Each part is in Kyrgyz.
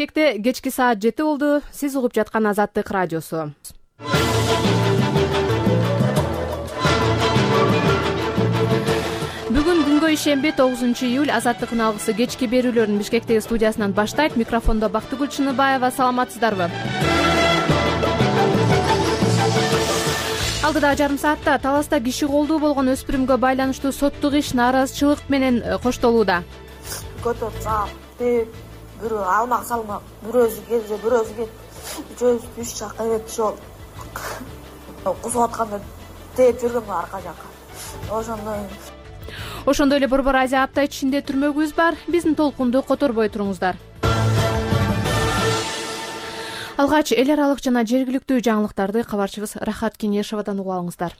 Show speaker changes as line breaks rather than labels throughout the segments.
Бишкекте кечки саат 7 болду. Сиз угуп жаткан Азаттык радиосу. Бүгүн күнгө ишемби 9 июль Азаттыктын алгысы кечки берүүлөрүн Бишкектеги студиясынан баштайт. Микрофондо Бактыгүл Чыныбаева. Саламатсыздарбы? Алдыдагы жарым саатта Таласта киши колдуу болгон өспүрүмгө байланыштуу соттук иш нааразычылык менен коштолууда.
Көтөрсам, бирөө алмак салмак, бирөөсү келсе, бирөөсү кет. Үчөөбүз үч жакка кетишип кусуп атканда тээп жүргөм арка жакка.
Ошондой эле Борбор Азия апта ичинде түрмөгүбүз бар. Биздин толкунду которбой туруңуздар. Алгач эл аралык жана жергиликтүү жаңылыктарды кабарчыбыз Рахат Кенешевадан угуп алыңыздар.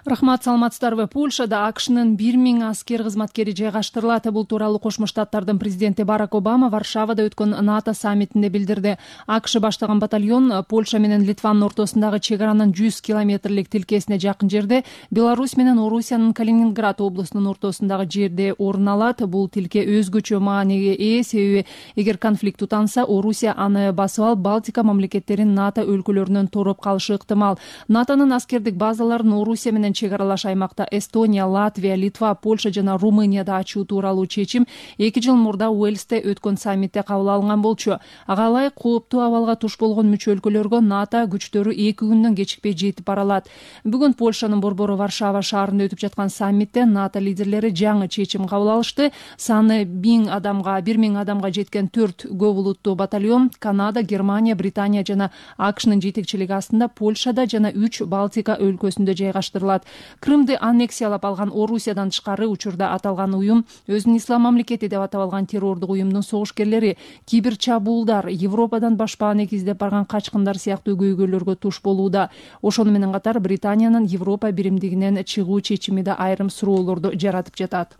Рахмат, саламатсыздарбы? Польшада АКШнын 1000 аскер кызматкери жайгаштырылат. Бул тууралуу Кошмо Штаттардын президенти Барак Обама Варшавада өткөн НАТО саммитинде билдирди. АКШ баштаган батальон Польша менен Литванын ортосундагы чек аранын 100 километрлик тилкесине жакын жерде, Беларусь менен Орусиянын Калининград облусунун ортосундагы жерде орун алат. Бул тилке өзгөчө мааниге ээ, себеби эгер конфликт тутанса, Орусия аны басып алып, Балтика мамлекеттерин НАТО өлкөлөрүнөн тороп калышы ыктымал. НАТОнун аскердик базаларын Орусия менен чек аралаш аймакта Эстония, Латвия, Литва, Польша жана Румынияда ачуу тууралуу чечим 2 жыл мурда Уэльсте өткөн саммитте кабыл алынган болчу. Ага ылайык кооптуу абалга туш болгон мүчө өлкөлөргө НАТО күчтөрү 2 күндөн кечикпей жетип бара алат. Бүгүн Польшанын борбору Варшава шаарында өтүп жаткан саммитте НАТО лидерлери жаңы чечим кабыл алышты. Саны 1000 адамга жеткен 4 көп улуттуу батальон Канада, Германия, Британия жана АКШнын жетекчилиги астында Польшада жана 3 Балтика өлкөсүндө жайгаштырылат. Крымды аннексиялап алган Орусиядан тышкары учурда аталган уюм өзүн ислам мамлекети деп атап алган террордук уюмдун согушкерлери, кибер чабуулдар, Европадан башпааны издеп барган качкындар сыяктуу көйгөйлөргө туш болууда. Ошону менен катар Британиянын Европа биримдигинен чыгуу чечими да айрым суроолорду жаратып жатат.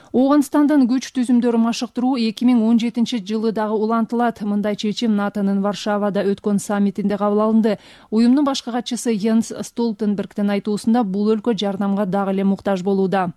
Ооганстандын күч түзүмдөрү машыктыруу 2017 жылы дагы улантылат. Мындай чечим НАТОнун Варшавада өткөн саммитинде кабыл алынды. Уюмдун башкы катчысы Йенс Столтенбергдин айтуусунда бул өлкө жардамга дагы эле муктаж болууда.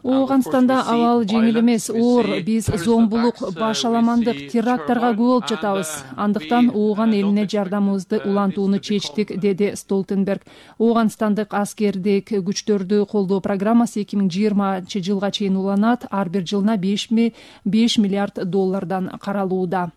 Ооганстанда абал жеңил эмес, оор. Биз зомбулук, башаламандык, теракттарга күбө болуп жатабыз. Андыктан Ооган элине жардамыбызды улантууну чечтик, деди Столтенберг. Ооганстандык аскердик күчтөрдү колдоо программасы 2020 жылга чейин уланат. Ар бир жылына $5 миллиард каралууда.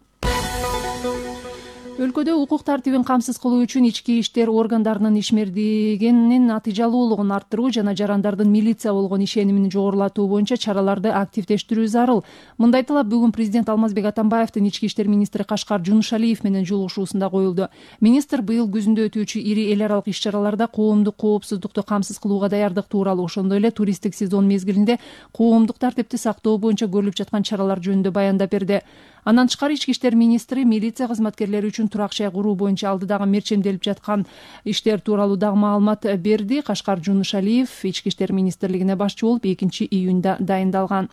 Өлкөдө укук тартибин камсыз кылуу үчүн ички иштер органдарынын ишмердигинин натыйжалуулугун арттыруу жана жарандардын милиция болгон ишенимин жогорулатуу боюнча чараларды активдештирүү зарыл. Мындай талап бүгүн президент Алмазбек Атамбаевдин ички иштер министри Кашкар Жунушалиев менен жолугушуусунда коюлду. Министр быйыл күзүндө өтүүчү ири эл аралык иш-чараларда коомдук коопсуздукту камсыз кылууга даярдык тууралуу, ошондой эле туристтик сезон мезгилинде коомдук тартипти сактоо боюнча көрүлүп жаткан чаралар жөнүндө баяндап берди. Андан тышкары ички иштер министри милиция кызматкерлери үчүн турак жай куруу боюнча алдыдагы мерчемделип жаткан иштер тууралуу дагы маалымат берди. Кашкар Жунушалиев ички иштер министрлигине башчы болуп 2 июнда дайындалган.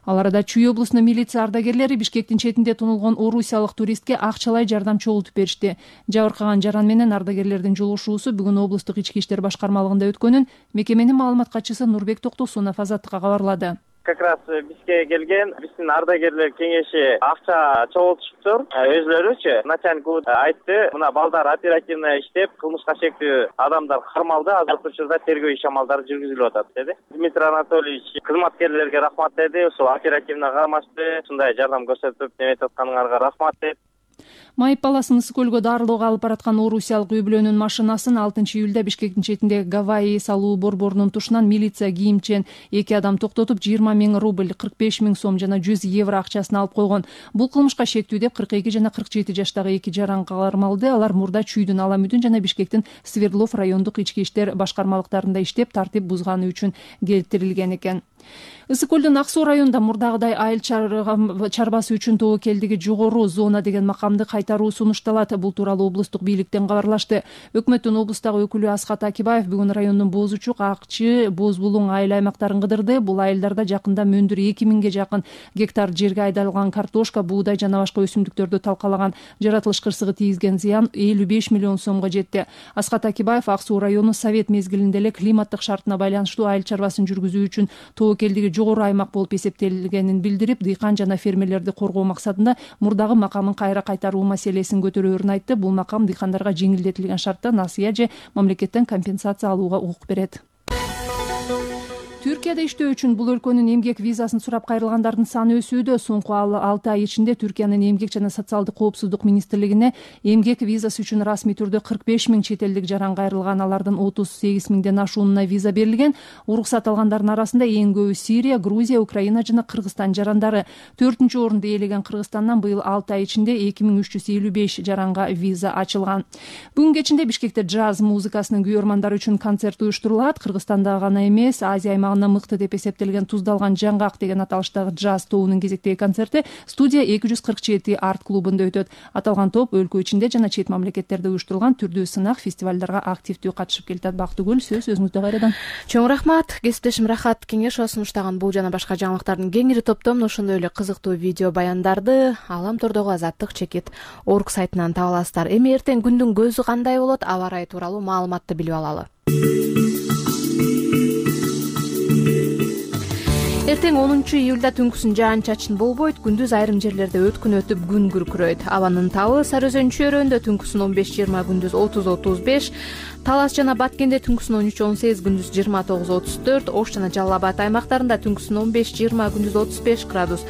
Ал арада Чүй облусунун милиция ардагерлери Бишкектин четинде тонулгон орусиялык туристке акчалай жардам чогултуп беришти. Жабыркаган жаран менен ардагерлердин жолугушуусу бүгүн облустук ички иштер башкармалыгында өткөнүн мекеменин маалымат катчысы Нурбек Токтосунов Азаттыкка кабарлады.
Как раз бизге келген биздин ардагерлер кеңеши акча чогултуштур. Өзлөрүчү начальник айтты, мына балдар оперативно иштеп, кылмышка шектүү адамдар кармалды, азыркы учурда тергөө иш амалдары жүргүзүлүп атат деди. Дмитрий Анатольевич кызматкерлерге рахмат деди, ошо оперативно кармашты, ушундай жардам көрсөтүп неметип атканыңарга рахмат деп.
Майып баласын ысык көлгө дарылоого алып бараткан орусиялык үй бүлөнүн машинасын 6 июлда Бишкектин четинде Гавайи салуу борборунун тушунан милиция кийимчен 2 адам токтотуп 20 000 рубль, 45 000 сом жана 100 евро акчасын алып койгон. Бул кылмышка шектүү деп 42 жана 47 жаштагы 2 жаран кармалды. Алар мурда Чүйдүн Аламүдүн жана Бишкектин Свердлов райондук ички иштер башкармалыктарында иштеп, тартип бузганы үчүн келтирилген экен. Ысык көлдүн Ак Суу районунда мурдагыдай айыл чарбасы үчүн тобокелдиги жогору зона деген макамды кайтаруу сунушталат. Бул тууралуу облустук бийликтен кабарлашты. Өкмөттүн облустагы өкүлү Асхат Акибаев бүгүн райондун Боз Учук, Акчы, Боз Булуң айыл аймактарын кыдырды. Бул айылдарда жакында мөндүр 2000ге жакын гектар жерге айдалган картошка, буудай жана башка өсүмдүктөрдү талкалаган. Жаратылыш кырсыгы тийгизген зыян 55 миллион сомго жетти. Асхат Акибаев Ак Суу району совет мезгилинде эле климаттык шартына байланыштуу айыл чарбасын жүргүзүү үчүн тобокелдиги жогору аймак болуп эсептелгенин билдирип, дыйкан жана фермерлерди коргоо максатында мурдагы макамын кайра кайтаруу маселесин көтөрөөрүн айтты. Бул макам дыйкандарга жеңилдетилген шартта насыя же мамлекеттен компенсация алууга укук берет. Түркияда иштөө үчүн бул өлкөнүн эмгек визасын сурап кайрылгандардын саны өсүүдө. Соңку 6 ай ичинде Түркиянын эмгек жана социалдык коопсуздук министрлигине эмгек визасы үчүн расмий түрдө 45 000 чет элдик жаран кайрылган. Алардын 38 000ден ашуунуна виза берилген. Уруксат алгандардын арасында эң көбү Сирия, Грузия, Украина жана Кыргызстан жарандары. 4-чү орунду ээлеген Кыргызстандан быйыл 6 ай ичинде 2355 жаранга виза ачылган. Бүгүн кечинде Бишкекте джаз музыкасынын күйөрмандары үчүн концерт уюштурулат. Кыргызстанда гана эмес, Азия мыкты деп эсептелген Туздалган жаңгак деген аталыштагы джаз тобунун кезектеги концерти студия 247 арт клубунда өтөт. Аталган топ өлкө ичинде жана чет мамлекеттерде уюштурулган түрдүү сынак фестивалдарга активдүү катышып келатат. Бактыгүл, сөз өзүңүздө кайрадан.
Чоң рахмат. Кесиптешим Рахат Кеңешова сунуштаган бул жана башка жаңылыктардын кеңири топтомун ошондой эле кызыктуу видео баяндарды Аламтордогу Азаттык чекит org сайтынан таба аласыздар. Эми эртең күндүн көзү кандай болот, аба ырайы тууралуу маалыматты билип алалы. Эртең 10 июлда түнкүсүн жаан-чачын болбойт, күндүз айрым жерлерде өткүн өтүп күн күркүрөйт. Абанын табы Сары Өзөн чөйрөндө түнкүсүн 15-20, күндүз 30-35, Талас жана Баткенде түнкүсүн 13-18, күндүз 29-34, Ош жана Жалал Абад аймактарында түнкүсүн 15-20, күндүз 35 градус.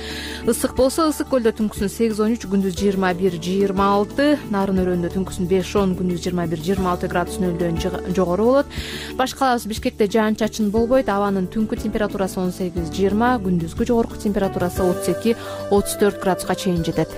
Ысык болсо Ысык көлдө түнкүсүн 8-13, күндүз 21-26, Нарын өрөндө түнкүсүн 5-10, күндүз 21-26 градус нөлдөн жогору болот. Башкалабыз Бишкекте жаан-чачын болбойт, абанын түнкү температурасы 18-20, күндүзгү жогорку температурасы 32-34 градуска чейин жетет.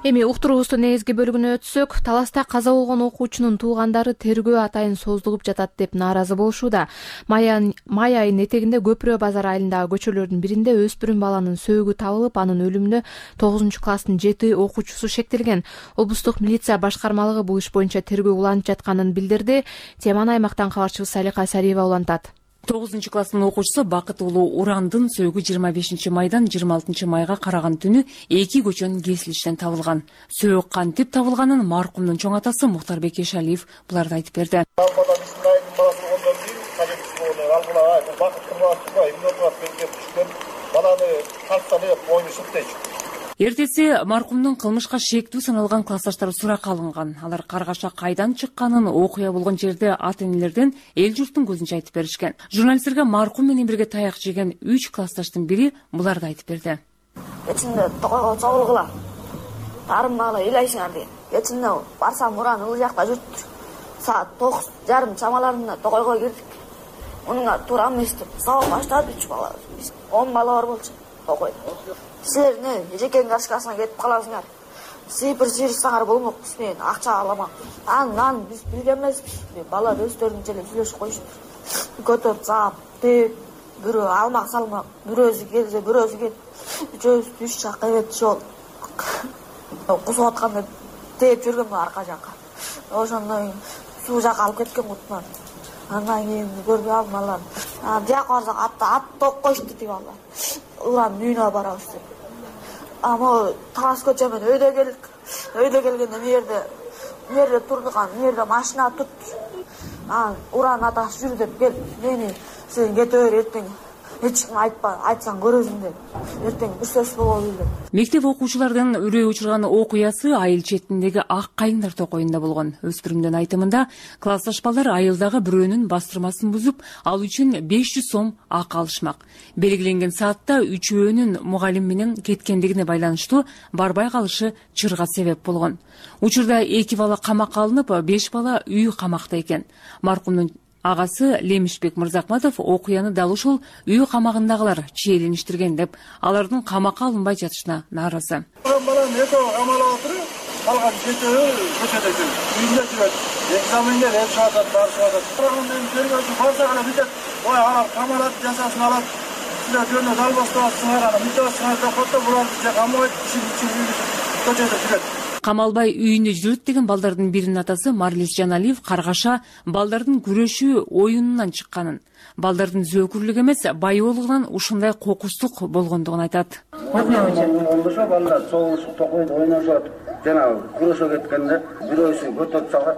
Эми уктуруубуздун негизги бөлүгүнө өтсөк, Таласта каза болгон окуучунун туугандары тергөө атайын создугуп жатат деп нааразы болушууда. Май айынын этегинде Көпүрө базар айылындагы көчөлөрдүн биринде өспүрүм баланын сөөгү табылып, анын өлүмүнө 9 класстын 7 окуучусу шектелген. Облустук милиция башкармалыгы бул иш боюнча тергөө уланып жатканын билдирди. Теманы аймактан кабарчыбыз Салика Сариева улантат.
9 класстын окуучусу Бакыт уулу Урандын сөөгү 25 майдан 26 майга караган түнү 2 көчөнүн кесилишинен табылган. Сөөгү кантип табылганын маркумдун чоң атасы Мухтарбек Эшалиев буларды айтып берди. Эртеси маркумдун кылмышка шектүү саналган классташтары суракка алынган. Алар каргаша кайдан чыкканын, окуя болгон жерде ата-энелерден эл журттун көзүнчө айтып беришкен. Журналисттерге маркум менен бирге таяк жеген 3 классташтын бири буларды айтып берди.
Кечинде токойго чогулгула. Тарыммала ыйлайсыңар деген. Кечинде барсам уран ыл жакта жүрүптүр. Саат 9:30 чамаларында токойго кирдик. Мунга туура эмес деп сабак баштады 3 бала. 10 бала бар болчу токой. Силер не, жекен кашкасына кетип каласыңар. Сыйпыр сыйырсаңар болмокпуз, мен акча аламан. Анан биз билген эмеспиз. Балар өздөрүнчө эле сүйлөшүп коюштур. Көтөрүп саап, деп, бирөө алмак салмак, бирөөсү келсе, бирөөсү кет. Үчөөбүз үч жакка эбет жол. Кусуп атканда деп жүргөн арка жакка. Ошондон суу жакка алып кеткен кутман. Андан кийин көрбөй алмалар. Жакка барсак ат топ коюшту деп алар. Уранын үйүнө барабыз деп. Ама Талас көчөмөн өйдө келдик. Өйдө келгенде мерде турдук, мерде машина тутту. Уран атасы жүрү деп кел. Мени сен кете бер эртең. Эч ким айтпа, айтсаң көрөсүң деп. Эртең бир сөз болобу деп.
Мектеп окуучулардын үрөй учурган окуясы айыл четиндеги Ак Кайындар токойунда болгон. Өспүрүмдүн айтымында классташ балдар айылдагы бирөөнүн бастырмасын бузуп, ал үчүн 500 сом ак алышмак. Белгиленген саатта үчөөнүн мугалим менен кеткендигине байланыштуу барбай калышы чырга себеп болгон. Учурда 2 бала камакка алынып, 5 бала үй камакта экен. Маркумдун агасы Лемишбек Мырзахматов окуяны дал ушул үй камагындагылар чийлеништирген деп алардын камакка алынбай жатышына нааразы.
Балам экөө камалып отуруп, калган жетөө көчөдө жүр. Үйүндө жүрөт. Экзамендер эп чыгат, барып чыгат. Программаны тергөөчү барса гана бүтөт. Ой, алар камалат, жазасын алат. Силер жөнүндө далбастап сыңарган, бүтөт сыңарып кото буларды же камайт, көчөдө жүрөт.
Камалбай үйүндө жүрөт деген балдардын биринин атасы Марлис Жаналиев Каргаша балдардын күрөшүү оюнунан чыкканын, балдардын зөөкүрлүк эмес, байоолугунан ушундай кокустук болгондугун айтат.
Ошо балдар соғушуп, токойду, ойношот, жана күрөшө кеткенде бирөөсү көтөрүп салат,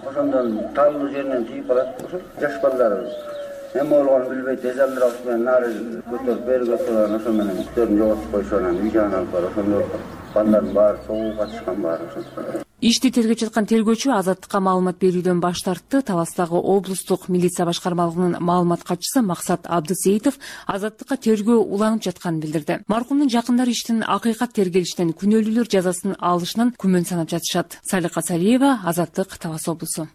ошондон талуу жеринен тийип калат. Ошо жаш балдар эме болгонун билбейт, эзелдир менен нары көтөрүп, бери көтөрүп, ошо менен үстөрүн жоготуп койсо анан үй жагына алып барып, ошондой балдардын баары согууга катышкан баары.
Ишти тергеп жаткан тергөөчү азаттыкка маалымат берүүдөн баш тартты. Таластагы облустук милиция башкармалыгынын маалымат катчысы Максат Абдысеитов азаттыкка тергөө уланып жатканын билдирди. Маркумдун жакындары иштин акыйкат тергелиштен күнөөлүүлөр жазасын алышынан күмөн санап жатышат. Салика Салиева, Азаттык, Талас облусу.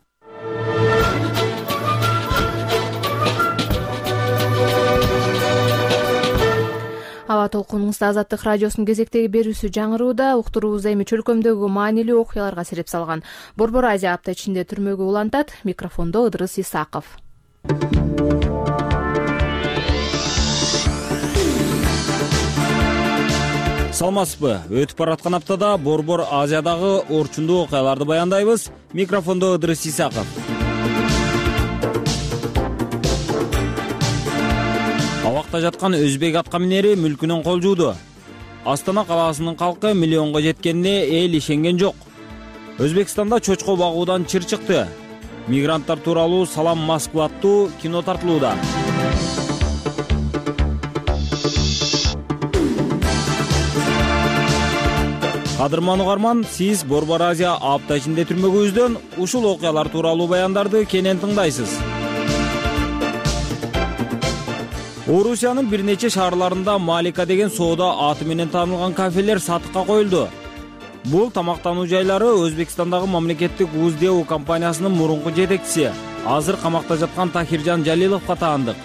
Аба толкунуңузда Азаттык радиосунун кезектеги берүүсү жаңырууда. Уктуруубузда эми чөлкөмдөгү маанилүү окуяларга сереп салган Борбор Азия апта ичинде түрмөгө улантат. Микрофондо Ыдырыс Исаков.
Саламатсызбы? Өтүп бараткан аптада Борбор Азиядагы орчундуу окуяларды баяндайбыз. Микрофондо Ыдырыс Исаков. Абакта жаткан өзбек атка минери мүлкүнөн кол жууду. Астана калаасынын калкы миллионго жеткенине эл ишенген жок. Өзбекстанда чочко багуудан чыр чыкты. Мигранттар тууралуу Салам Москва аттуу кино тартылууда. Кадырман угарман, сиз Борбор Азия апта ичинде түрмөгүбүздөн ушул окуялар тууралуу баяндарды кенен тыңдайсыз. Орусиянын бир нече шаарларында Малика деген соода аты менен таанылган кафелер сатыкка коюлду. Бул тамактануу жайлары Өзбекстандагы мамлекеттик УЗДУ компаниясынын мурунку жетекчиси, азыр камакта жаткан Тахиржан Жалиловго таандык.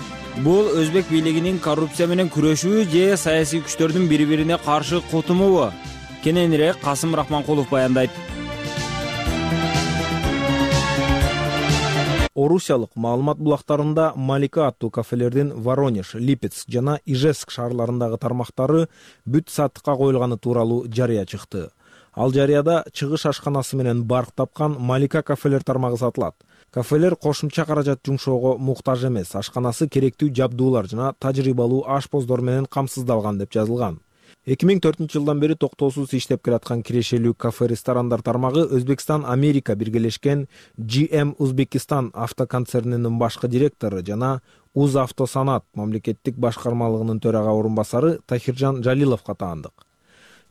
Бул өзбек бийлигинин коррупция менен күрөшүү же саясий күчтөрдүн бири-бирине каршы кутумубу? Кененирээк Касым Рахманкулов баяндайт.
Орусиялык маалымат булактарында Малика аттуу кафелердин Воронеж, Липецк жана Ижевск шаарларындагы тармактары бүт сатыкка коюлганы тууралуу жарыя чыкты. Ал жарыяда чыгыш ашканасы менен барк тапкан Малика кафелер тармагы сатылат. Кафелер кошумча каражат жумшоого муктаж эмес, ашканасы керектүү жабдуулар жана тажрыйбалуу ашпоздор менен камсыздалган деп жазылган. 2004 жылдан бери токтоосуз иштеп келаткан кирешелүү кафе-ресторандар тармагы Өзбекстан Америка биргелешкен GM Узбекистан автоконцернинин башкы директору жана Узавтосанат мамлекеттик башкармалыгынын төрага орун басары Тахиржан Жалиловго таандык.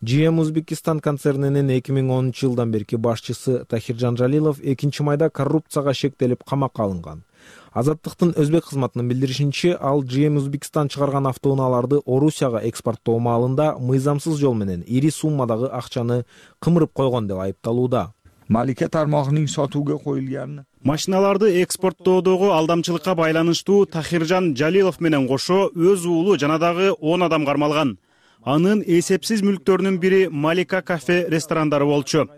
GM Узбекистан концернинин 2010 жылдан берки башчысы Тахиржан Жалилов 2-майда коррупцияга шектелип камакка алынган. Азаттыктын өзбек кызматынын билдиришинче, ал GM Узбекистан чыгарган автоунааларды Орусияга экспорттоо маалында мыйзамсыз жол менен ири суммадагы акчаны кымырып койгон деп айыпталууда.
Малика тармагынын сатууга коюлган
машиналарды экспорттоодогу алдамчылыкка байланыштуу Тахиржан Жалилов менен кошо өз уулу жана дагы 10 адам кармалган. Анын эсепсиз мүлктөрүнүн бири Малика кафе ресторандары болчу.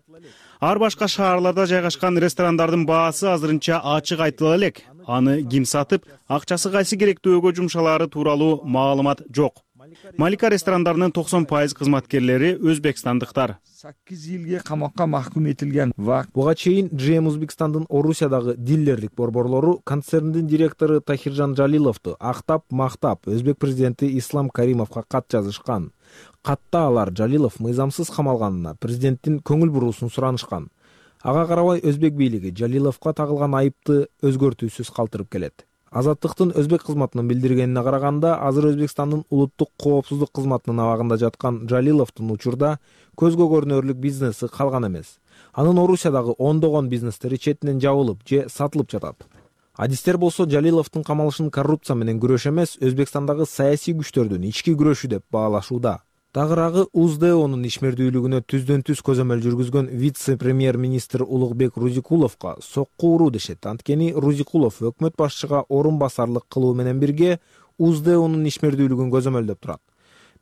Ар башка шаарларда жайгашкан ресторандардын баасы азырынча ачык айтыла элек. Аны ким сатып, акчасы кайсы керектүүгө жумшалаары тууралуу маалымат жок. Малика ресторандарынын 90% кызматкерлери өзбекстандыктар.
8 жылга камакка махкум этилген.
Буга чейин GM Узбекстандын Орусиядагы дилерлик борборлору концерндин директору Тахиржан Жалиловду актап мактап өзбек президенти Ислам Каримовго кат жазышкан. Катта алар Жалилов мыйзамсыз камалганына президенттин көңүл буруусун суранышкан. Ага карабай өзбек бийлиги Жалиловго тагылган айыпты өзгөртүүсүз калтырып келет. Азаттыктын өзбек кызматынын билдиргенине караганда, азыр Өзбекстандын улуттук коопсуздук кызматынын абагында жаткан Жалиловдун учурда көзгө көрүнөрлүк бизнеси калган эмес. Анын Орусиядагы ондогон бизнестери четинен жабылып же сатылып жатат. Адистер болсо Жалиловдун камалышын коррупция менен күрөш эмес, Өзбекстандагы саясий күчтөрдүн ички күрөшү деп баалашууда. Тагыраагы УЗДОнун ишмердүүлүгүнө түздөн түз көзөмөл жүргүзгөн вице-премьер-министр Улукбек Рузикуловго сокку уруу дешет. Анткени Рузикулов өкмөт башчыга орун басарлык кылуу менен бирге УЗДОнун ишмердүүлүгүн көзөмөлдөп турат.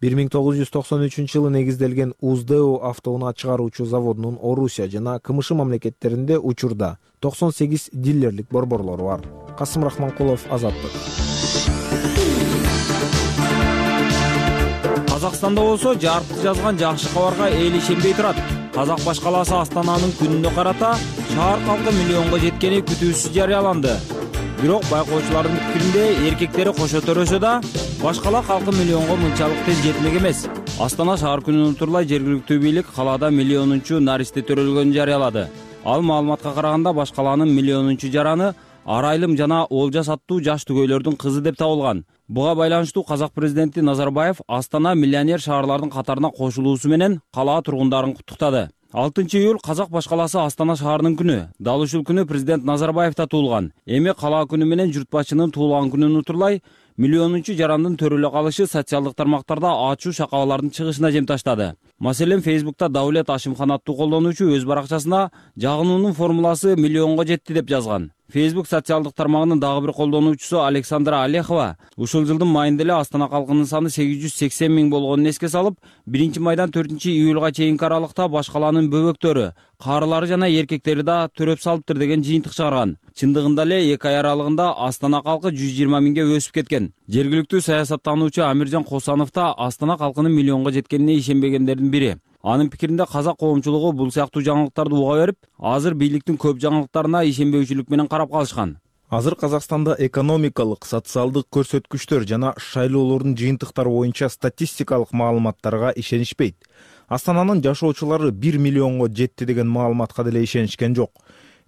1993-жылы негизделген УЗДО автоунаа чыгаруучу заводунун Орусия жана КМШ мамлекеттеринде учурда 98 дилерлик борборлору бар. Касым Рахманкулов, Азаттык.
Казакстанда болсо жарықты жазган жакшы кабарга эл ишенбей турат. Казак баш калаасы Астананын күнүнө карата шаар калкы миллионго жеткени күтүүсүз жарыяланды. Бирок байкоочулардын пикиринде эркектери кошо төрөсө да, баш кала калкы миллионго мынчалык тез жетмек эмес. Астана шаар күнүн утурлай жергиликтүү бийлик калаада миллионунчу наристе төрөлгөнүн жарыялады. Ал маалыматка караганда баш каланын миллионунчу жараны Арайлым жана Олжас аттуу жаш түгөйлөрдүн кызы деп табылган. Буга байланыштуу казак президенти Назарбаев Астана миллионер шаарлардын катарына кошулуусу менен кала тургундарын куттуктады. 6-июль казак баш калаасы Астана шаарынын күнү. Дал ушул күнү президент Назарбаев да туулган. Эми кала күнү менен журт башчынын туулган күнүн утурлай миллионунчу жарандын төрөлө калышы социалдык тармактарда ачуу шакалалардын чыгышына жем таштады. Маселен, Фейсбукта Даулет Ашимхан аттуу колдонуучу өз баракчасына жагынуунун формуласы миллионго жетти деп жазган. Facebook социалдык тармагынын дагы бир колдонуучусу Александра Олехова ушул жылдын майында эле Астана калкынын саны 880 миң болгонун эске салып, 1-майдан 4-июлга чейинки аралыкта баш каланын бөбөктөрү, карылары жана эркектери да төрөп салыптыр деген жыйынтык чыгарган. Чындыгында эле 2 ай аралыгында Астана калкы 120 миңге өсүп кеткен. Жергиликтүү саясаттануучу Амиржан Косанов да Астана калкынын миллионго жеткенине ишенбегендердин бири. Анын пикиринде казак коомчулугу бул сыяктуу жаңылыктарды уга берип, азыр бийликтин көп жаңылыктарына ишенбөөчүлүк менен карап калышкан.
Азыр Казакстанда экономикалык, социалдык көрсөткүчтөр жана шайлоолордун жыйынтыктары боюнча статистикалык маалыматтарга ишенишпейт. Астананын жашоочулары 1 миллионго жетти деген маалыматка деле ишенишкен жок.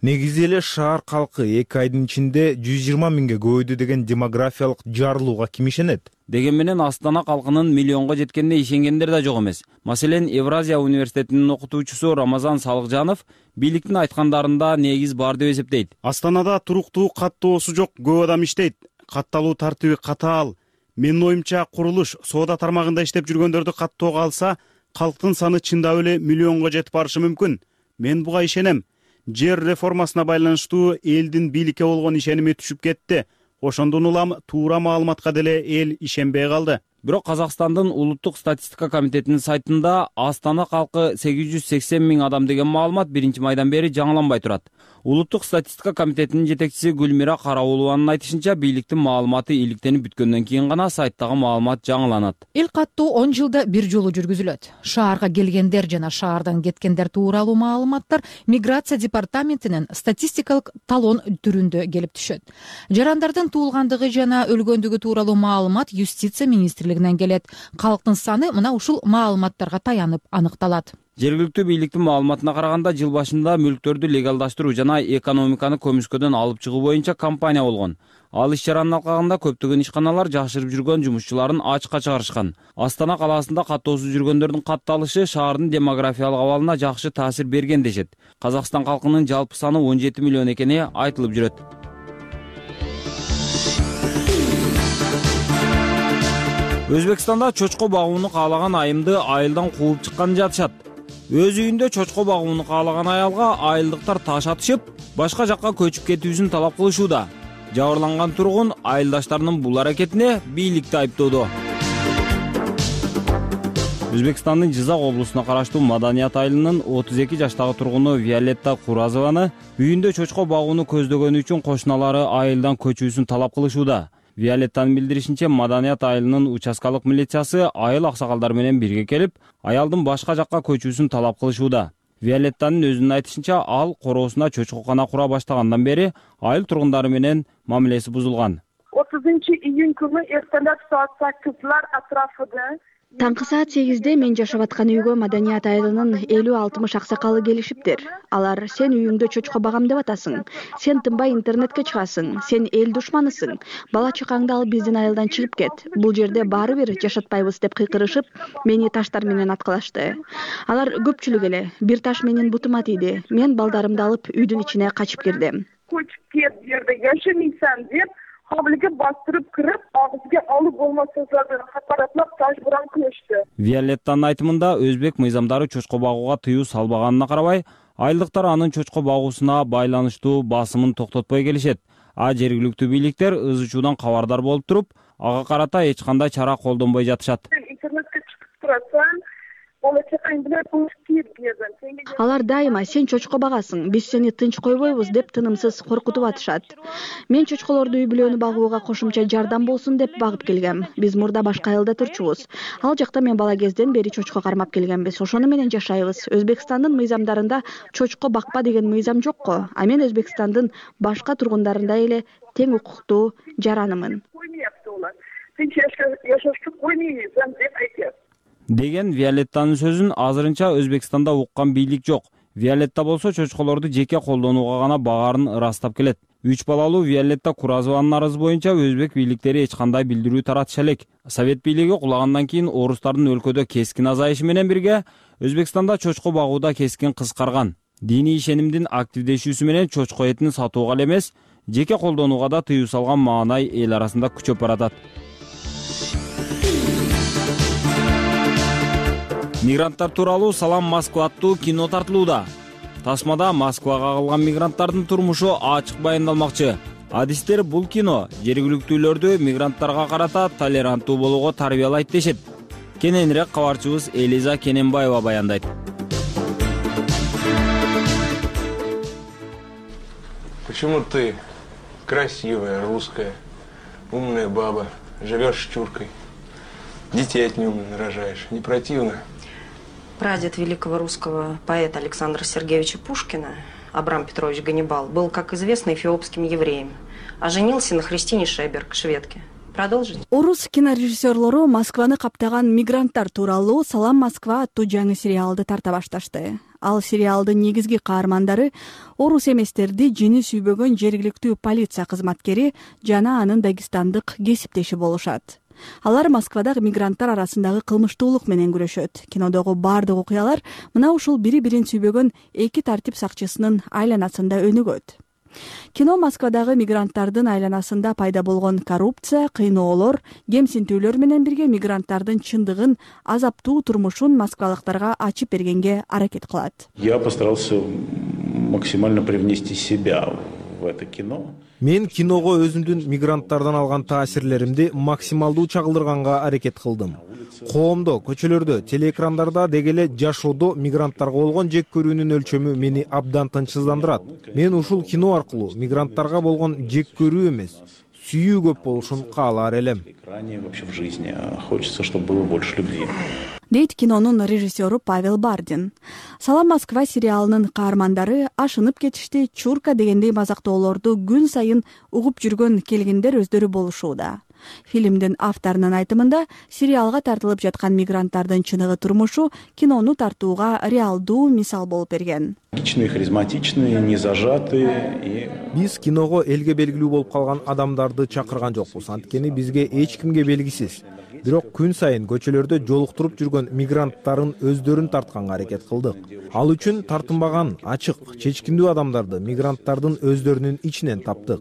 Негизи эле шаар калкы 2 айдын ичинде 120 миңге көбөйдү деген демографиялык жарылууга ким ишенет?
Деген менен Астана калкынын миллионго жеткенине ишенгендер да жок эмес. Маселен, Евразия университетинин окутуучусу Рамазан Салыкжанов бийликтин айткандарында негиз бар деп эсептейт.
Астанада туруктуу каттоосу жок көп адам иштейт. Катталуу тартиби катаал. Менин оюмча курулуш, соода тармагында иштеп жүргөндөрдү каттоого алса, калктын саны чындап эле миллионго жетип барышы мүмкүн. Мен буга ишенем. Жер реформасына байланыштуу элдин бийликке болгон ишеними түшүп кетти. Ошондон улам туура маалыматка деле эл ишенбей калды.
Бирок Казакстандын улуттук статистика комитетинин сайтында Астана калкы 880 миң адам деген маалымат 1-майдан бери жаңыланбай турат. Улуттук статистика комитетинин жетекчиси Гүлмира Караулованын айтышынча, бийликтин маалыматы иликтенип бүткөндөн кийин гана сайттагы маалымат жаңыланат.
Эл каттоо 10 жылда бир жолу жүргүзүлөт. Шаарга келгендер жана шаардан кеткендер тууралуу маалыматтар миграция департаментинин статистикалык талон түрүндө келип түшөт. Жарандардын туулгандыгы жана өлгөндүгү тууралуу маалымат юстиция министрлигинен келет. Калктын саны мына ушул маалыматтарга таянып аныкталат.
Жергиликтүү бийликтин маалыматына караганда, жыл башында мүлктөрдү легалдаштыруу жана экономиканы көмүскөдөн алып чыгуу боюнча кампания болгон. Ал иш-чаранын алкагында көптөгөн ишканалар жашырып жүргөн жумушчуларын ачыкка чыгарышкан. Астана калаасында каттоосуз жүргөндөрдүн катталышы шаардын демографиялык абалына жакшы таасир берген дешет. Казакстан калкынын жалпы саны 17 миллион экени айтылып жүрөт. Өзбекстанда чочко багууну каалаган айымды айылдан кууп чыккан жатышат. Өз үйүндө чочко багууну каалаган аялга айылдыктар таш атышып, башка жакка көчүп кетүүсүн талап кылышууда. Жабырланган тургун айылдаштарынын бул аракетине бийликти айыптоодо. Өзбекстандын Жизак облусуна караштуу Маданият айылынын 32 жаштагы тургуну Виолетта Куразованы үйүндө чочко багууну көздөгөнү үчүн кошуналары айылдан көчүүсүн талап кылышууда. Виолеттанын билдиришинче, Маданият айылынын участкалык милициясы айыл аксакалдары менен бирге келип, аялдын башка жакка көчүүсүн талап кылышууда. Виолеттанын өзүнүн айтышынча, ал короосуна чочкокана кура баштагандан бери айыл тургундары менен мамилеси бузулган.
30-iyun күнү эртелеп саат 8 атрафында
Таңкы саат 8-де мен жашап аткан үйгө Маданият айылынын 50-60 аксакалы келишиптир. Алар: сен үйүңдө чочко багам деп атасың, сен тынбай интернетке чыгасың, сен эл душманысың, бала чакаңды алып биздин айылдан чыгып кет, бул жерде баары бир жашатпайбыз деп кыйкырышып, мени таштар менен аткылашты. Алар көпчүлүк эле, бир таш менин бутума тийди. Мен балдарымды алып үйдүн ичине качып кирдим.
Көчүп кет, жерде жашамайсың деп hovliga bostirib kirib, og'ziga olib bo'lmas so'zlardan haqoratlab tajburan qilishdi.
Виолеттанын айтымында өзбек мыйзамдары чочко багууга тыюу салбаганына карабай, айылдыктар анын чочко багуусуна байланыштуу басымын токтотпой келишет. А жергиликтүү бийликтер ыз учуудан кабардар болуп туруп, ага карата эч кандай чара колдонбой жатышат.
Интернетке чыгып турасаң, болочакың билет кийип бердим.
Алар дайыма сен чочко багасың, биз сени тынч койбойбуз деп тынымсыз коркутуп атышат. Мен чочколорду үй бүлөнү багууга кошумча жардам болсун деп багып келгем. Биз мурда башка айылда турчубуз. Ал жакта мен бала кезден бери чочко кармап келгенбиз. Ошону менен жашайбыз. Өзбекстандын мыйзамдарында чочко бакпа деген мыйзам жокко. А мен Өзбекстандын башка тургундарындай эле тең укуктуу жаранымын.
Тынч жашашты коймойсуң деп айтат.
Деген Виолеттанын сөзүн азырынча Өзбекстанда уккан бийлик жок. Виолетта болсо чочколорду жеке колдонууга гана багарын ырастап келет. 3 балалуу Виолетта Куразованын арызы боюнча өзбек бийликтери эч кандай билдирүү таратыша элек. Совет бийлиги кулагандан кийин орустардын өлкөдө кескин азайышы менен бирге Өзбекстанда чочко багууда кескин кыскарган. Диний ишенимдин активдешүүсү менен чочко этин сатууга эле эмес, жеке колдонууга да тыюу салган маанай эл арасында күчөп баратат. Мигранттар тууралуу Салам Москва аттуу кино тартылууда. Тасмада Москвага кагылган мигранттардын турмушу ачык баяндалмакчы. Адистер бул кино жергиликтүүлөрдү мигранттарга карата толеранттуу болууга тарбиялайт дешет. Кененирээк кабарчыбыз Элиза Кененбаева баяндайт.
Почему ты, красивая, русская, умная баба, живешь с чуркой, детей от неумно нарожаешь? Не противно?
Прадед великого русского поэта Александра Сергеевича Пушкина, Абрам Петрович Ганнибал, был, как известно, эфиопским евреем, а женился на Христине Шеберг, шведке. Продолжить?
Орус кинорежиссерлору Москваны каптаган мигранттар тууралуу Салам Москва аттуу жаңы сериалды тарта башташты. Ал сериалдын негизги каармандары орус эместерди жини сүйбөгөн жергиликтүү полиция кызматкери жана анын дагестандык кесиптеши болушат. Алар Москвадагы мигранттар арасындагы кылмыштуулук менен күрөшөт. Кинодогу бардык окуялар мына ушул бири-бирин сүйбөгөн эки тартип сакчысынын айланасында өнүгөт. Кино Москвадагы мигранттардын айланасында пайда болгон коррупция, кыйноолор, кемсинтүүлөр менен бирге мигранттардын чындыгын, азаптуу турмушун москвалыктарга ачып бергенге аракет кылат.
Я постарался максимально привнести себя в это кино.
Мен киного өзүмдүн мигранттардан алган таасирлеримди максималдуу чагылдырганга аракет кылдым. Коомдо, көчөлөрдө, телеэкрандарда дегеле жашоодо мигранттарга болгон жек көрүүнүн өлчөмү мени абдан тынчсыздандырат. Мен ушул кино аркылуу мигранттарга болгон жек көрүү эмес, сүйүү көп болушун каалар элем.
Вообще в жизни хочется, чтобы было больше любви.
Дейт кинонун режиссеру Павел Бардин. Салам Москва сериалынын каармандары ашынып кетишти, чурка дегендей мазактоолорду күн сайын угуп жүргөн келгиндер өздөрү болушууда. Фильмдин авторунун айтымында сериалга тартылып жаткан мигранттардын чыныгы турмушу кинону тартууга реалдуу мисал болуп берген.
Личные, харизматичные, не зажатые.
Биз киного элге белгилүү болуп калган адамдарды чакырган жокпуз. Анткени бизге эч кимге белгисиз. Бирок күн сайын көчөлөрдө жолуктуруп жүргөн мигранттардын өздөрүн тартканга аракет кылдык. Ал үчүн тартынбаган, ачык, чечкиндүү адамдарды мигранттардын өздөрүнүн ичинен таптык.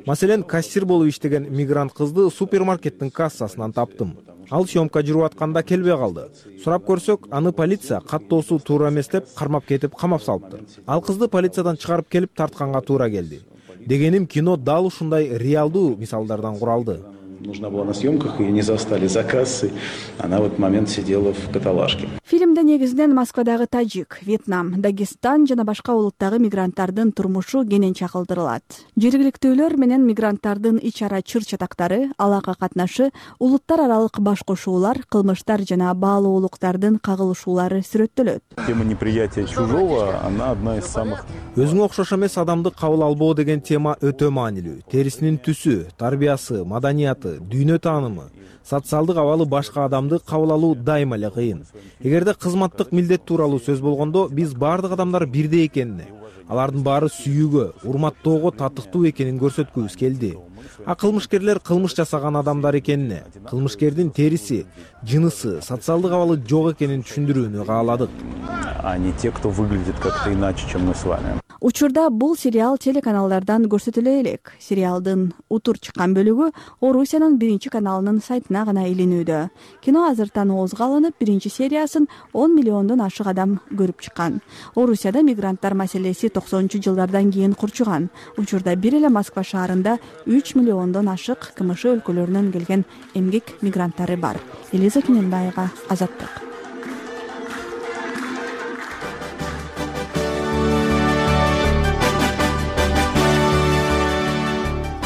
Маселен, кассир болуп иштеген мигрант кызды супермаркеттин кассасынан таптым. Ал съемка жүрүп атканда келбей калды. Сурап көрсөк, аны полиция каттоосу туура эмес деп кармап кетип камап салыптыр. Ал кызды полициядан чыгарып келип тартканга туура келди. Дегеним, кино дал ушундай реалдуу мисалдардан куралды.
Нужна была на съемках, ее не застали за кассой. Она в этот момент сидела в каталажке.
Фильмде негизинен Москвадагы Тажик, Вьетнам, Дагестан жана башка улуттагы мигранттардын турмушу кенен чагылдырылат. Жергиликтүүлөр менен мигранттардын ич-ара чыр-чатактары, алака катнашы, улуттар аралык баш кошуулар, кылмыштар жана баалуулуктардын кагылышуулары сүрөттөлөт.
Тема неприятия чужого, она одна из самых...
Өзүңө окшош эмес адамды кабыл албоо деген тема өтө маанилүү. Терисинин түсү, тарбиясы, маданияты, дүйнө таанымы, социалдык абалы башка адамды кабыл алуу дайыма эле кыйын. Эгерде кызматтык милдет тууралуу сөз болгондо, биз бардык адамдар бирдей экенине, алардын баары сүйүүгө, урматтоого татыктуу экенин көрсөткүбүз келди. А кылмышкерлер кылмыш жасаган адамдар экенине, кылмышкердин териси, жынысы, социалдык абалы жок экенин түшүндүрүүнү кааладык.
А не те, кто выглядит как-то иначе, чем мы с вами.
Учурда бул сериал телеканалдардан көрсөтүлө элек. Сериалдын утур чыккан бөлүгү Орусиянын биринчи каналынын сайтына гана илинүүдө. Кино азыр тануусуга алынып, биринчи сериясын 10 миллиондон ашык адам көрүп чыккан. Орусияда мигранттар маселеси 90-жылдардан кийин курчуган. Учурда бир эле Москва шаарында 3 миллиондон ашык КМШ өлкөлөрүнөн келген эмгек мигранттары бар. Элиза Кененбаева, Азаттык.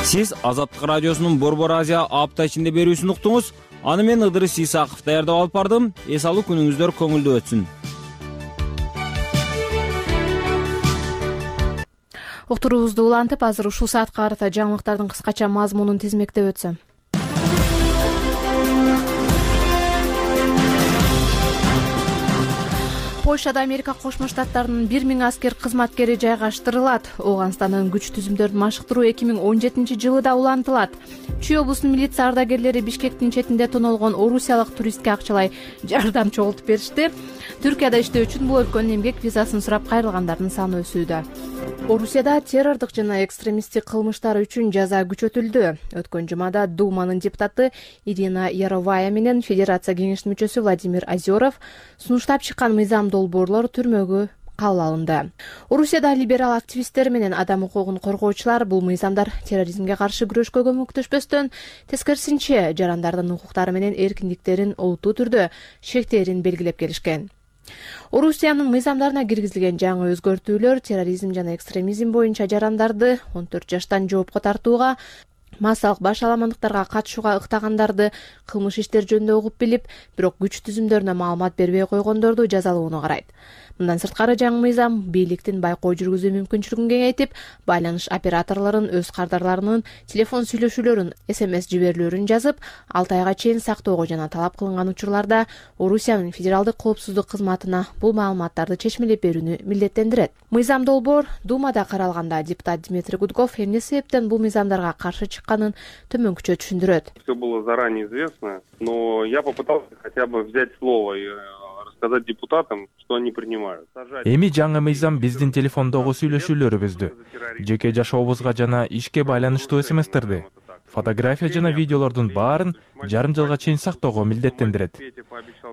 Сиз Азаттык радиосунун Борбор Азия апта ичинде берүүсүн уктуңуз. Аны мен Ыдырыс Исаков даярдап алып бардым. Эс алуу күнүңүздөр көңүлдүү өтсүн.
Уктуруубузду улантып, азыр ушул саатка карата жаңылыктардын кыскача мазмунун тизмектеп өтсөм. Польшада Америка Кошмо Штаттарынын 1000 аскер кызматкери жайгаштырылат. Ооганстандын күч түзүмдөрүн машыктыруу 2017 жылыда улантылат. Чүй облусунун милиция ардагерлери Бишкектин четинде тоналгон орусиялык туристке акчалай жардам чогултуп беришти. Түркияда иштөө үчүн бул өлкөнүн эмгек визасын сурап кайрылгандардын саны өсүүдө. Орусияда террордук жана экстремисттик кылмыштар үчүн жаза күчөтүлдү. Өткөн жумада Думанын депутаты Ирина Яровая менен Федерация кеңешинин мүчөсү Владимир Озеров сунуштап чыккан мыйзам долбоорлор түрмөгө кабыл алынды. Орусияда либерал активисттер менен адам укугун коргоочулар бул мыйзамдар терроризмге каршы күрөшкө көмөктөшпөстөн, тескерисинче жарандардын укуктары менен эркиндиктерин олуттуу түрдө шектээрин белгилеп келишкен. Орусиянын мыйзамдарына киргизилген жаңы өзгөртүүлөр терроризм жана экстремизм боюнча жарандарды 14 жаштан жоопко тартууга, массалык баш аламандыктарга катышууга ыктагандарды, кылмыш иштер жөнүндө угуп билип, бирок күч түзүмдөрүнө маалымат бербей койгондорду жазалоону карайт. Мындан сырткары жаңы мыйзам бийликтин байкоо жүргүзүү мүмкүнчүлүгүн кеңейтип, байланыш операторлорунун өз кардарларынын телефон сүйлөшүүлөрүн, SMS жиберүүлөрүн жазып, 6 айга чейин сактоого жана талап кылынган учурларда Орусиянын федералдык коопсуздук кызматына бул маалыматтарды чечмелеп берүүнү милдеттендирет. Мыйзам долбоор Думада каралганда депутат Дмитрий Гудков эмне себептен бул мыйзамдарга каршы чыкканын төмөнкүчө түшүндүрөт.
Все было заранее известно, но я попытался хотя бы взять слово и сказать депутатам, что они принимают.
Эми жаңы мыйзам биздин телефондогу сүйлөшүүлөрүбүздү, жеке жашообузга жана ишке байланыштуу СМСтерди, фотография жана видеолордун баарын жарым жылга чейин сактоого милдеттендирет.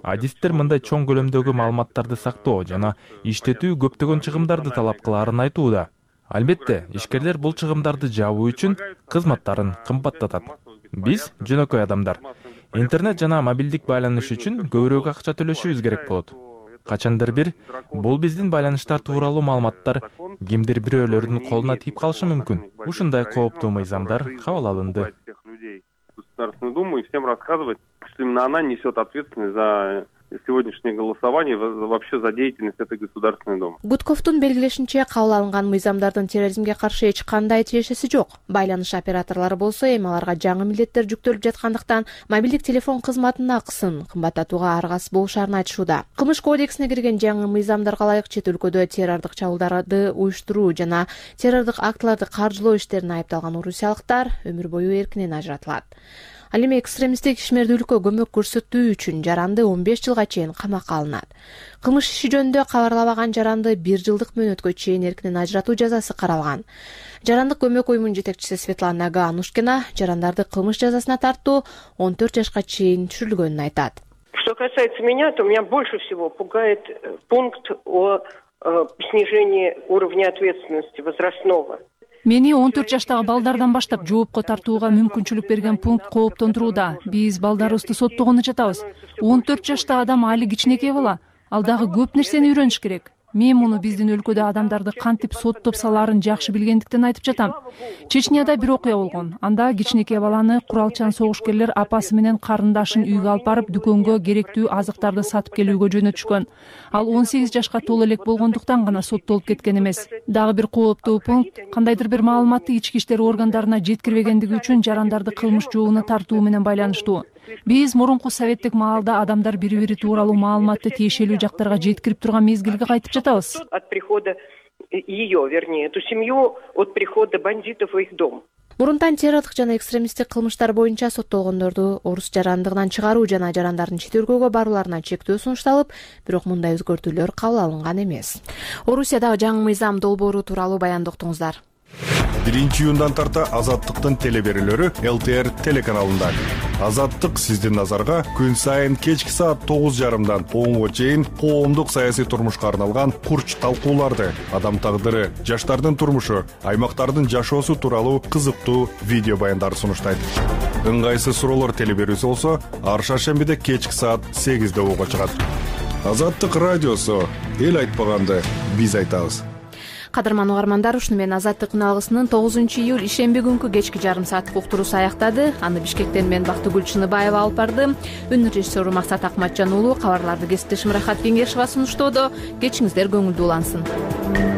Адистер мындай чоң көлөмдөгү маалыматтарды сактоо жана иштетүү көптөгөн чыгымдарды талап кылаарын айтууда. Албетте, ишкерлер бул чыгымдарды жабуу үчүн кызматтарын кымбаттатат. Биз жөнөкөй адамдар интернет жана мобилдик байланыш үчүн көбүрөөк акча төлөшүбүз керек болот. Качандыр бир бул биздин байланыштар тууралуу маалыматтар кимдир бирөөлөрдүн колуна тийип калышы мүмкүн. Ушундай кооптуу мыйзамдар кабыл алынды.
Государственную Думу и всем рассказывать, что именно она несет ответственность за сегодняшнее голосование, вообще за деятельность этой Государственной Думы.
Гудковдун белгилешинче, кабыл алынган мыйзамдардын терроризмге каршы эч кандай тиешеси жок. Байланыш операторлору болсо эми аларга жаңы милдеттер жүктөлүп жаткандыктан мобилдик телефон кызматынын акысын кымбаттатууга аргасыз болушарын айтышууда. Кылмыш кодексине кирген жаңы мыйзамдарга ылайык чет өлкөдө террордук чабуулдарды уюштуруу жана террордук актыларды каржылоо иштерине айыпталган орусиялыктар өмүр бою эркинен ажыратылат. Ал эми экстремисттик ишмердүүлүккө көмөк көрсөтүү үчүн жаранды 15 жылга чейин камакка алынат. Кылмыш иши жөнүндө кабарлабаган жаранды 1 жылдык мөөнөткө чейин эркинен ажыратуу жазасы каралган. Жарандык көмөк уюмунун жетекчиси Светлана Ганушкина жарандарды кылмыш жазасына тартуу 14 жашка чейин түшүрүлгөнүн айтат.
Что касается меня, то меня больше всего пугает пункт о снижении уровня ответственности возрастного.
Мени 14 жаштагы балдардан баштап жоопко тартууга мүмкүнчүлүк берген пункт кооптондурууда. Биз балдарыбызды соттогону жатабыз. 14 жаштагы адам али кичинекей бала. Ал дагы көп нерсени үйрөнүш керек. Мен муну биздин өлкөдө адамдарды кантип соттоп салаарын жакшы билгендиктен айтып жатам. Чечняда бир окуя болгон. Анда кичинекей баланы куралчан согушкерлер апасы менен карындашын үйгө алып барып дүкөнгө керектүү азыктарды сатып келүүгө жөнөтүшкөн. Ал 18 жашка толо элек болгондуктан гана соттолуп кеткен эмес. Дагы бир кооптуу пункт кандайдыр бир маалыматты ички иштер органдарына жеткирбегендиги үчүн жарандарды кылмыш жообуна тартуу менен байланыштуу. Биз мурунку советтик маалда адамдар бири-бири тууралуу маалыматты тиешелүү жактарга жеткирип турган мезгилге кайтып жатабыз.
От прихода ее, вернее, эту семью от прихода бандитов в их дом.
мурунтан террорлук жана экстремисттик кылмыштар боюнча соттолгондорду орус жарандыгынан чыгаруу жана жарандардын чет өлкөгө барууларына чектөө сунушталып, бирок мындай өзгөртүүлөр кабыл алынган эмес. Орусиядагы жаңы мыйзам долбоору тууралуу баяндоо уктуңуздар.
1-июндан тарта Азаттыктын телеберүүлөрү ЛТР телеканалында. Азаттык сиздин назарга күн сайын кечки саат 9:30дан 10-го чейин коомдук саясий турмушка арналган курч талкууларды, адам тагдыры, жаштардын турмушу, аймактардын жашоосу тууралуу кызыктуу видео баяндарды сунуштайт. Ыңгайсыз суроолор телеберүүсү болсо, ар шаршембиде кечки саат 8-де угууга чыгат. Азаттык радиосу, эл айтпаганды биз айтабыз.
Кадырман угармандар, ушуну менен Азаттыктын алгысынын 9-июль ишемби күнкү кечки жарым сааттык уктуруусу аяктады. Аны Бишкектен мен Бактыгүл Чыныбаева алып барды. Үнүн режиссеру Максат Акматжан уулу, кабарларды кесиптешим Рахат Кеңешова сунуштоодо. Кечиңиздер көңүлдүү улансын.